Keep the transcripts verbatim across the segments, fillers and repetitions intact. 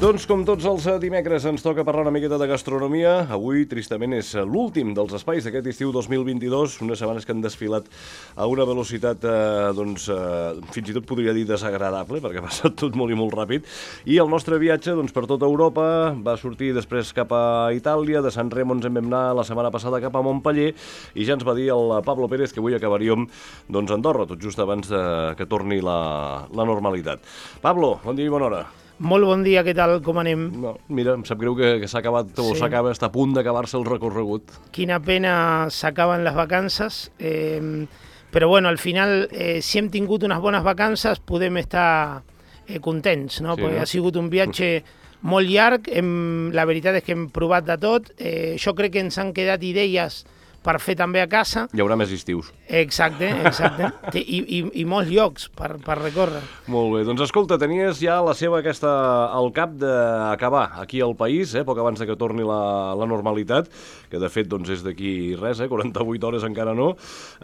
Doncs com tots els dimecres ens toca parlar una miqueta de gastronomia. Avui, tristament, és l'últim dels espais d'aquest estiu dos mil vint-i-dos, unes setmanes que han desfilat a una velocitat, eh, doncs, eh, fins i tot podria dir desagradable, perquè ha passat tot molt i molt ràpid. I el nostre viatge, doncs, per tota Europa va sortir després cap a Itàlia, de Sant Remo ens en vam anar la setmana passada cap a Montpeller, i ja ens va dir el Pablo Pérez que avui acabaríem, doncs, a Andorra, tot just abans de que torni la, la normalitat. Pablo, bon dia i bona hora. Molt bon dia, què tal, com anem? No, mira, em sap greu que, que s'ha acabat, o Sí. s'acaba, està a punt d'acabar-se el recorregut. Quina pena s'acaben les vacances, eh, però bueno, al final, eh, si hem tingut unes bones vacances, podem estar eh, contents, no? Sí, Perquè no? ha sigut un viatge molt llarg, hem, la veritat és que hem provat de tot, eh, jo crec que ens han quedat idees per fer també a casa. Hi haurà més estius. Exacte, exacte. Té- I, i, i molts llocs per, per recórrer. Molt bé, doncs escolta, tenies ja la seva aquesta al cap d'acabar aquí al país, eh, poc abans de que torni la, la normalitat, que de fet doncs, és d'aquí res, eh, quaranta-vuit hores encara no.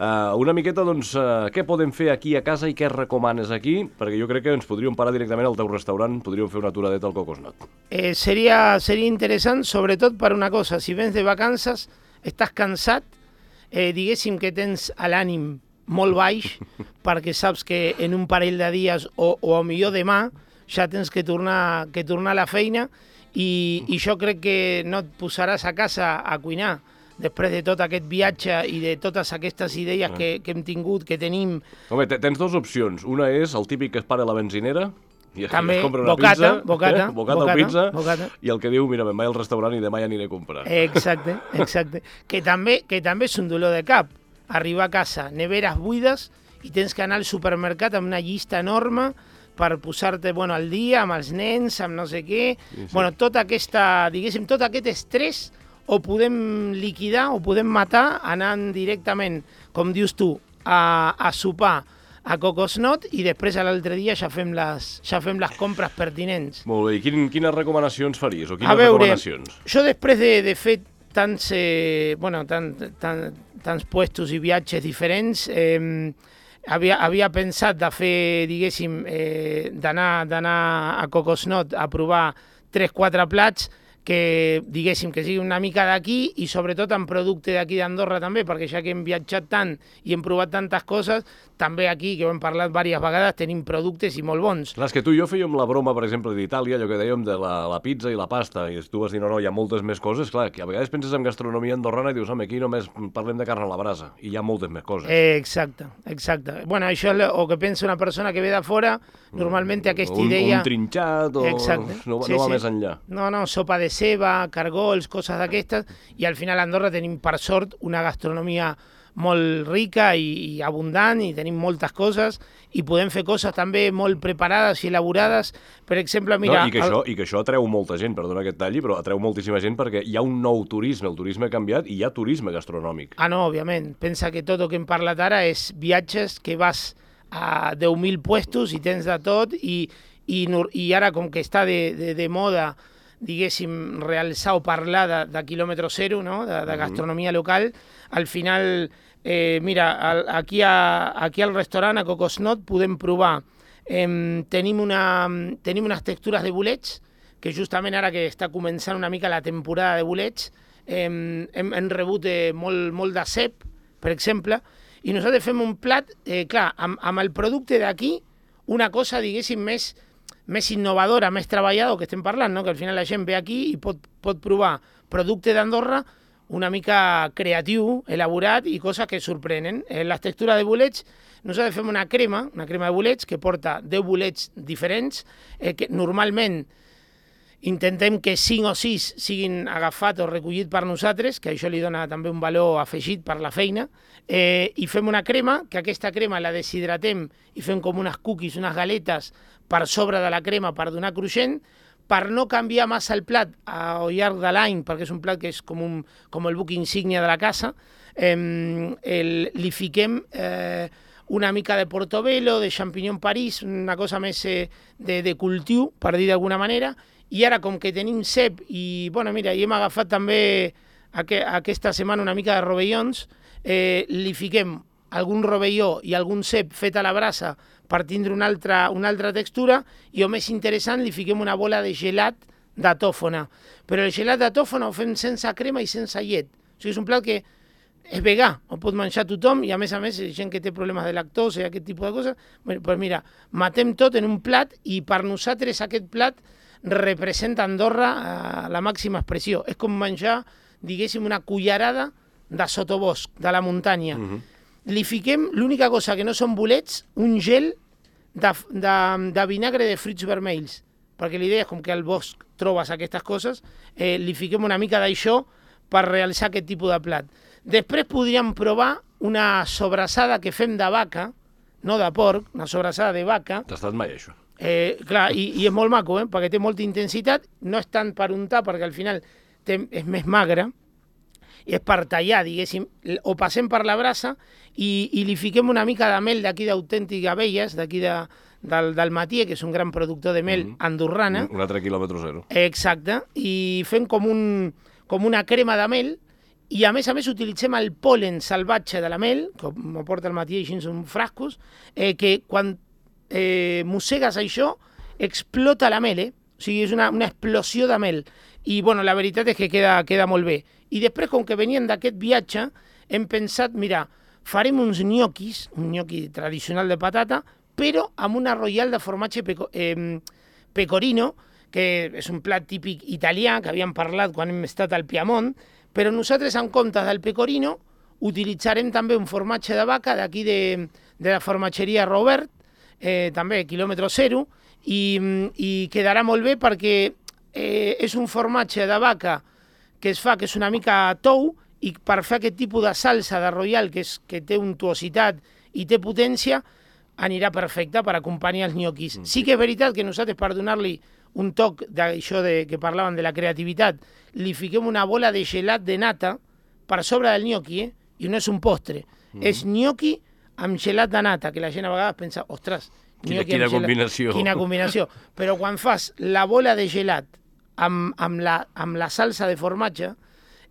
Uh, una miqueta, doncs, uh, què podem fer aquí a casa i què recomanes aquí? Perquè jo crec que ens podríem parar directament al teu restaurant, podríem fer una aturadeta al Cocosnot. Eh, seria, seria interessant, sobretot per una cosa, si vens de vacances, estàs cansat, eh, diguéssim que tens l'ànim molt baix, perquè saps que en un parell de dies o, o a millor demà ja tens que tornar, que tornar a la feina i, i jo crec que no et posaràs a casa a cuinar després de tot aquest viatge i de totes aquestes idees que, que hem tingut, que tenim. Home, te- tens dues opcions. Una és el típic que es para a la benzinera, i es, També, es compra una bocata, pizza, bocata, eh? bocata, bocata, o pizza, bocata. i el que diu, mira, me'n vaig al restaurant i demà ja aniré a comprar. Exacte, exacte. Que també, que també és un dolor de cap. Arribar a casa, neveres buides, i tens que anar al supermercat amb una llista enorme per posar-te, bueno, al dia amb els nens, amb no sé què. Sí, sí. Bueno, tota aquesta, diguéssim, tot aquest estrès o podem liquidar o podem matar anant directament, com dius tu, a, a sopar a Cocosnot i després a l'altre dia ja fem les, ja fem les compres pertinents. Molt bé, i quin, quines recomanacions faries? O quines A veure, recomanacions? jo després de, de fer tants, eh, bueno, tant, tant, tants puestos i viatges diferents, eh, havia, havia pensat de fer, diguéssim, eh, d'anar d'anar a Cocosnot a provar tres quatre plats que, diguéssim, que sigui una mica d'aquí i sobretot en producte d'aquí d'Andorra també, perquè ja que hem viatjat tant i hem provat tantes coses, també aquí, que ho hem parlat diverses vegades, tenim productes i molt bons. Clar, és que tu i jo fèiem la broma, per exemple, d'Itàlia, allò que dèiem de la, la pizza i la pasta, i tu vas dir, no, no, hi ha moltes més coses. Clar, que a vegades penses en gastronomia andorrana i dius, home, aquí només parlem de carn a la brasa, i hi ha moltes més coses. Eh, exacte, exacte. Bueno, això és el que pensa una persona que ve de fora, normalment té aquesta un, idea... Un trinxat, o... Exacte. No, Sí, no va sí. més enllà. No, no, sopa de ceba, cargols, coses d'aquestes, i al final a Andorra tenim, per sort, una gastronomia molt rica i, i abundant, i tenim moltes coses, i podem fer coses també molt preparades i elaborades. Per exemple, mira... no, i, que això, I que això atreu molta gent, perdona que et talli, però atreu moltíssima gent perquè hi ha un nou turisme, el turisme ha canviat i hi ha turisme gastronòmic. Ah, no, òbviament. Pensa que tot el que hem parlat ara és viatges que vas a deu mil puestos i tens de tot, i, i, nor- i ara com que està de, de, de moda, diguéssim, realçar o parlar de, de quilòmetre zero, no? de, de gastronomia local, al final, eh, mira, al, aquí, a, aquí al restaurant, a Cocosnot, podem provar. Eh, tenim, una, tenim unes textures de bolets, que justament ara que està començant una mica la temporada de bolets, eh, hem, hem rebut eh, molt, molt de cep, per exemple, i nosaltres fem un plat, eh, clar, amb, amb el producte d'aquí, una cosa, diguéssim, més, més innovadora, més treballada, que estem parlant, no? Que al final la gent ve aquí i pot, pot provar producte d'Andorra una mica creatiu, elaborat i coses que sorprenen. En les textures de bolets, nosaltres fem una crema, una crema de bolets que porta deu bolets diferents, eh, que normalment intentem que cinc o sis siguin agafats o recollits per nosaltres, que això li dona també un valor afegit per la feina, eh, i fem una crema, que aquesta crema la deshidratem i fem com unes cookies, unes galetes per sobre de la crema per donar cruixent, per no canviar massa el plat al llarg de l'any, perquè és un plat que és com, un, com el buc insígnia de la casa, eh, el, li fiquem eh, una mica de portobello, de champignon París, una cosa més eh, de, de cultiu, per dir d'alguna manera, i ara com que tenim cep i, bueno, mira, i hem agafat també aqu aquesta setmana una mica de rovellons, eh, li fiquem algun rovelló i algun cep fet a la brasa per tindre una altra, una altra textura, i o més interessant, li fiquem una bola de gelat de tòfona. Però el gelat de tòfona ho fem sense crema i sense llet. O sigui, és un plat que és vegà, ho pot menjar tothom, i a més a més, gent que té problemes de lactosa i aquest tipus de coses, bueno, pues mira, matem tot en un plat i per nosaltres aquest plat representa Andorra a la màxima expressió. És com menjar, diguéssim, una cullerada de sotobosc, de la muntanya. Uh-huh. Li fiquem, l'única cosa que no són bolets, un gel de, de, de vinagre de fruits vermells, perquè l'idea és com que al bosc trobes aquestes coses, eh, li fiquem una mica d'això per realitzar aquest tipus de plat. Després podríem provar una sobrassada que fem de vaca, no de porc, una sobrassada de vaca. T'ha estat mai, això? Eh, clar, i, i és molt maco, eh, perquè té molta intensitat, no és tant per untar, perquè al final té, és més magre, i és per tallar, diguéssim, o passem per la brasa i, i li fiquem una mica de mel d'aquí d'Autèntic Abelles, d'aquí de, del, del Matier, que és un gran productor de mel mm-hmm. andorrana. Un altre quilòmetre zero. Exacte, i fem com, un, com una crema de mel, i a més a més utilitzem el pol·len salvatge de la mel, que m'ho porta el Matier així en frascos, eh, que quan eh, mossegues això explota la mel, eh? O sigui, és una, una explosió de mel. I bueno, la veritat és que queda, queda molt bé. I després, com que venien d'aquest viatge, hem pensat, mira, farem uns gnocchis, un gnocchi tradicional de patata, però amb una royal de formatge peco, eh, pecorino, que és un plat típic italià, que havíem parlat quan hem estat al Piemont, però nosaltres, en comptes del pecorino, utilitzarem també un formatge de vaca d'aquí de, de la formatgeria Robert, eh, també quilòmetre zero, i, i quedarà molt bé perquè eh, és un formatge de vaca que es fa, que és una mica tou, i per fer aquest tipus de salsa de royal, que, és, que té untuositat i té potència, anirà perfecte per acompanyar els gnocchis. Mm. Sí que és veritat que nosaltres, per donar-li un toc d'això de, que parlaven de la creativitat, li fiquem una bola de gelat de nata per sobre del gnocchi, eh? I no és un postre, mm. és gnocchi amb gelat de nata, que la gent a vegades pensa, ostres, quina, quina combinació. Quina combinació. Però quan fas la bola de gelat amb, amb, la, amb la salsa de formatge,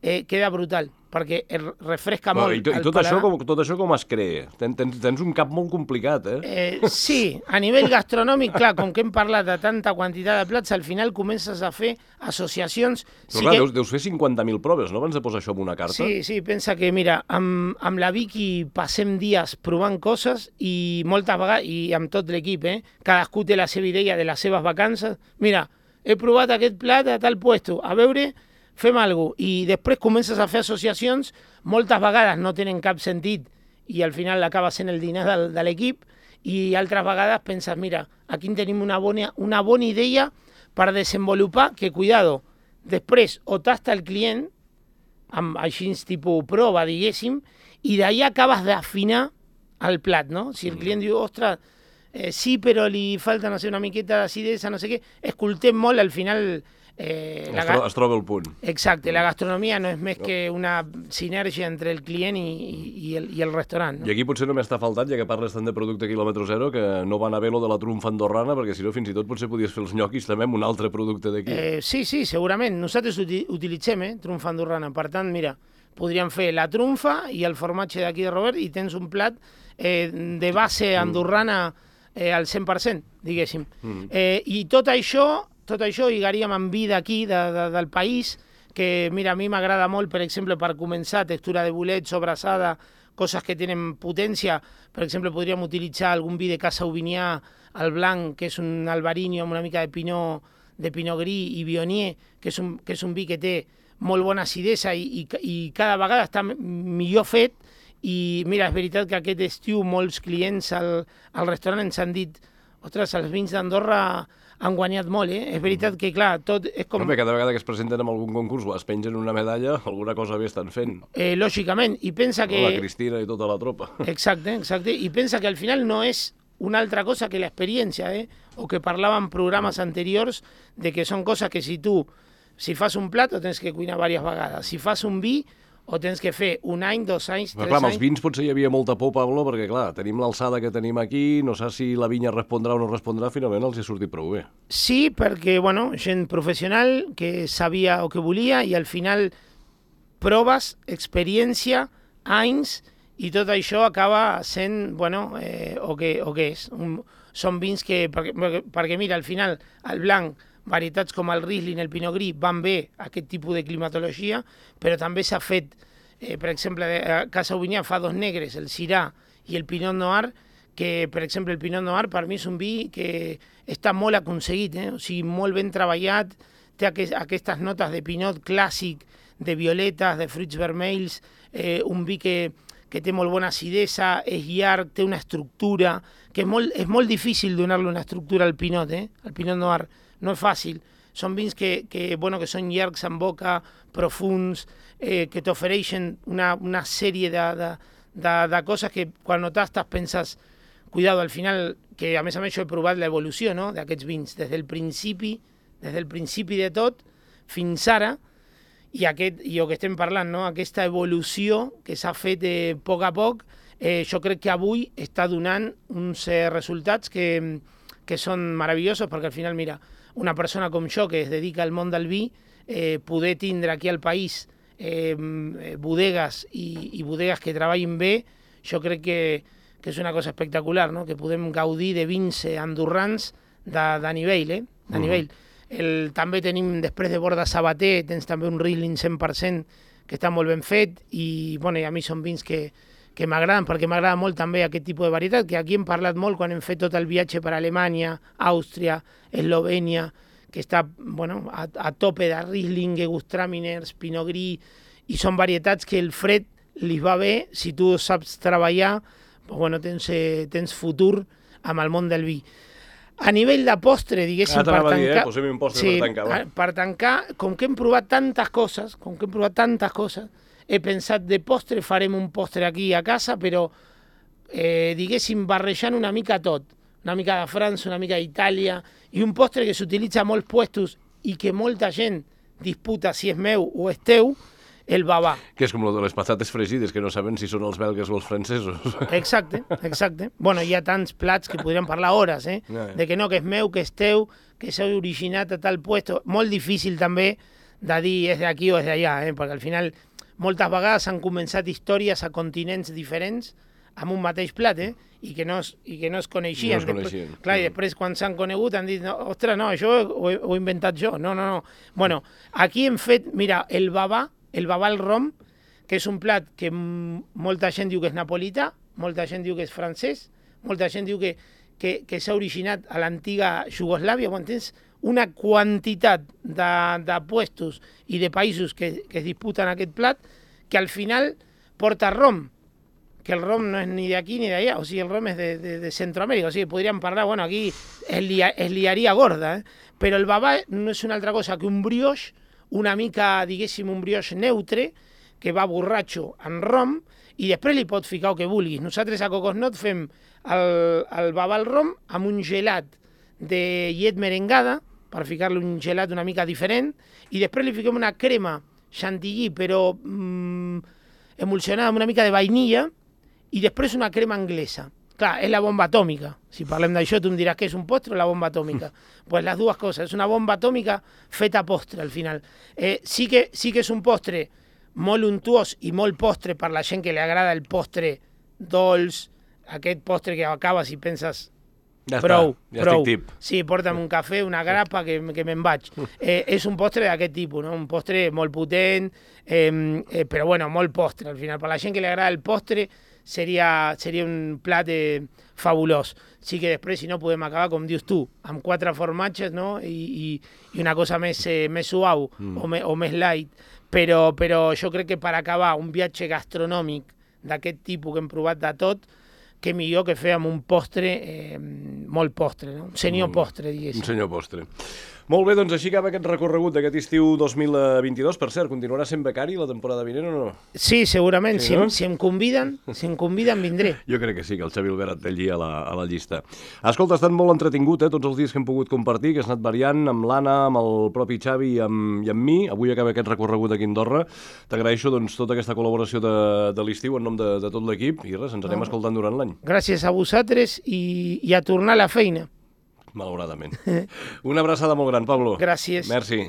eh, queda brutal, perquè refresca bueno, molt. I, to, i tot, això com, tot això com es crea? Ten, tens, tens un cap molt complicat, eh? eh? Sí, a nivell gastronòmic, clar, com que hem parlat de tanta quantitat de plats, al final comences a fer associacions... Però sí clar, que... deus, deus fer cinquanta mil proves, no? Abans de posar això en una carta. Sí, sí, pensa que, mira, amb, amb la Vicky passem dies provant coses i moltes vegades, i amb tot l'equip, eh? Cadascú té la seva idea de les seves vacances. Mira, he provat aquest plat a tal puesto, a veure... fem alguna cosa, i després comences a fer associacions, moltes vegades no tenen cap sentit i al final acaba sent el dinar de, de l'equip, i altres vegades penses, mira, aquí tenim una bona, una bona idea per desenvolupar, que cuidado, després o tasta el client, amb així tipus prova, diguéssim, i d'allà acabes d'afinar el plat, no? Si el client diu, ostres, eh, sí, però li falta, no sé, una miqueta d'acidesa, no sé què, escoltem molt, al final... Eh, es, tro es troba el punt. Exacte, la gastronomia no és més no. que una sinergia entre el client i, i, el, i el restaurant. No? I aquí potser només t'ha faltat, ja que parles tant de producte quilòmetre zero, que no van haver lo de la trumfa andorrana, perquè si no fins i tot potser podies fer els nyoquis també amb un altre producte d'aquí. Eh, sí, sí, segurament. Nosaltres uti utilitzem eh, trumfa andorrana. Per tant, mira, podríem fer la trumfa i el formatge d'aquí de Robert i tens un plat eh, de base andorrana eh, al cent per cent, diguéssim. Mm. Eh, I tot això... Tot això lligaríem amb vi d'aquí, de, de, del país, que mira, a mi m'agrada molt, per exemple, per començar, textura de bolet, sobrassada, coses que tenen potència. Per exemple, podríem utilitzar algun vi de Casa Aubinià, el blanc, que és un albarino amb una mica de pinot, de pinot gris i vionier, que és un, que és un vi que té molt bona acidesa i, i, i cada vegada està millor fet. I mira, és veritat que aquest estiu molts clients al, al restaurant ens han dit, ostres, els vins d'Andorra han guanyat molt, eh? És veritat que, clar, tot és com... Home, cada vegada que es presenten en algun concurs o es pengen una medalla, alguna cosa bé estan fent. Eh, lògicament, i pensa que... La Cristina i tota la tropa. Exacte, exacte, i pensa que al final no és una altra cosa que l'experiència, eh? O que parlàvem en programes anteriors de que són coses que si tu, si fas un plat, ho tens que cuinar diverses vegades. Si fas un vi, o tens que fer un any, dos anys, però tres clar, anys... Amb els vins potser hi havia molta por, Pablo, perquè clar, tenim l'alçada que tenim aquí, no sé si la vinya respondrà o no respondrà, finalment els hi ha sortit prou bé. Sí, perquè, bueno, gent professional que sabia o que volia i al final proves, experiència, anys, i tot això acaba sent, bueno, eh, o, que, o que és. Un, són vins que, perquè, perquè mira, al final el blanc varietats com el Riesling, el Pinot Gris, van bé a aquest tipus de climatologia, però també s'ha fet, eh, per exemple, a Casa Sauvignon fa dos negres, el Syrah i el Pinot Noir, que, per exemple, el Pinot Noir per mi és un vi que està molt aconseguit, eh? O sigui, molt ben treballat, té aqu aquestes notes de Pinot clàssic, de violetes, de fruits vermells, eh, un vi que, que té molt bona acidesa, és llarg, té una estructura, que és molt, és molt difícil donar-li una estructura al Pinot, eh? Al Pinot Noir, no és fàcil. Són vins que, que, bueno, que són llargs en boca, profuns, eh, que t'ofereixen una, una sèrie de, de, de, de coses que quan no tastes penses, cuidado, al final, que a més a més jo he provat l'evolució, no?, d'aquests vins, des del principi, des del principi de tot, fins ara, i, aquest, i el que estem parlant, no?, aquesta evolució que s'ha fet eh, a poc a poc, eh, jo crec que avui està donant uns eh, resultats que, que són meravellosos, perquè al final, mira, una persona com jo que es dedica al món del vi, eh, poder tindre aquí al país eh, bodegues i, i bodegues que treballin bé, jo crec que, que és una cosa espectacular, no?, que podem gaudir de vins andorrans de, de nivell, eh? de uh-huh. nivell. El, també tenim, després de Borda Sabater, tens també un Riesling cent per cent que està molt ben fet i, bueno, i a mi són vins que, que m'agraden, perquè m'agrada molt també aquest tipus de varietat, que aquí hem parlat molt quan hem fet tot el viatge per Alemanya, Àustria, Eslovènia, que està, bueno, a, a tope de Riesling, Gewürztraminers, Pinot Gris, i són varietats que el fred li va bé, si tu saps treballar, pues, bueno, tens, eh, tens futur amb el món del vi. A nivell de postre, diguéssim, ah, per tancar... Dir, eh? Posem un postre sí, per tancar, va. Per tancar, com que hem provat tantes coses, com que hem provat tantes coses, he pensat de postre, farem un postre aquí a casa, però, eh, diguéssim, barrejant una mica tot. Una mica de França, una mica d'Itàlia, i un postre que s'utilitza a molts puestos i que molta gent disputa si és meu o és teu, el babà. Que és com lo de les patates fregides, que no saben si són els belgues o els francesos. Exacte, exacte. Bueno, hi ha tants plats que podríem parlar hores, eh? No, eh? De que no, que és meu, que és teu, que s'ha originat a tal puesto. Molt difícil també de dir és d'aquí o és d'allà, eh? Perquè al final moltes vegades han començat històries a continents diferents amb un mateix plat, eh? I que no es, i que no es coneixien. No es coneixien. Després, clar, i després quan s'han conegut han dit, no, ostres, no, això ho he, ho he inventat jo. No, no, no. Bueno, aquí hem fet, mira, el babà, el babà al rom, que és un plat que molta gent diu que és napolità, molta gent diu que és francès, molta gent diu que, que, que s'ha originat a l'antiga Iugoslàvia, quan tens una quantitat de, de puestos i de països que, que es disputen aquest plat, que al final porta rom, que el rom no és ni d'aquí ni d'allà, o sigui, el rom és de, de, de Centroamèrica, o sigui, podríem parlar, bueno, aquí es, lia, es liaria gorda, eh? Però el babà no és una altra cosa que un brioix, una mica, diguéssim, un brioix neutre, que va borratxo en rom, i després li pots ficar el que vulguis. Nosaltres a Cocosnot fem el, el babà al rom amb un gelat de llet merengada, per ficar-li un gelat una mica diferent, i després li fiquem una crema chantilly, però mm, emulsionada amb una mica de vainilla, i després una crema anglesa. Clar, és la bomba atòmica. Si parlem d'això, tu em diràs que és un postre o la bomba atòmica. Doncs pues les dues coses. És una bomba atòmica feta postre, al final. Eh, sí, que, sí que és un postre molt untuós i molt postre per la gent que li agrada el postre dolç, aquest postre que acabes i penses ja prou, està, ja prou. estic tip. Sí, porta'm un cafè, una grapa, que, que me'n vaig. Eh, és un postre d'aquest tipus, no? Un postre molt potent, eh, eh, però bueno, molt postre, al final. Per la gent que li agrada el postre, seria, seria un plat eh, fabulós. Sí que després, si no, podem acabar, com dius tu, amb quatre formatges, no? I, i, i una cosa més, eh, més suau mm. o, me, o més light. Però, però jo crec que per acabar un viatge gastronòmic d'aquest tipus que hem provat de tot, que millor que fer amb un postre, eh, molt postre, no? Un senyor mm. postre, diguéssim. Un senyor postre. Molt bé, doncs així acaba aquest recorregut d'aquest estiu dos mil vint-i-dos. Per cert, continuarà sent becari la temporada vinent o no? Sí, segurament. Sí, si, no? em, si em conviden, si em conviden, vindré. Jo crec que sí, que el Xavi Albert et té allí a la, a la llista. Escolta, ha estat molt entretingut, eh, tots els dies que hem pogut compartir, que has anat variant amb l'Anna, amb el propi Xavi i amb, i amb mi. Avui acaba aquest recorregut aquí a Andorra. T'agraeixo doncs, tota aquesta col·laboració de, de l'estiu en nom de, de tot l'equip i res, ens anem no. escoltant durant l'any. Gràcies a vosaltres i, i a tornar a la feina. Malauradament. Una abraçada molt gran, Pablo. Gràcies. Merci.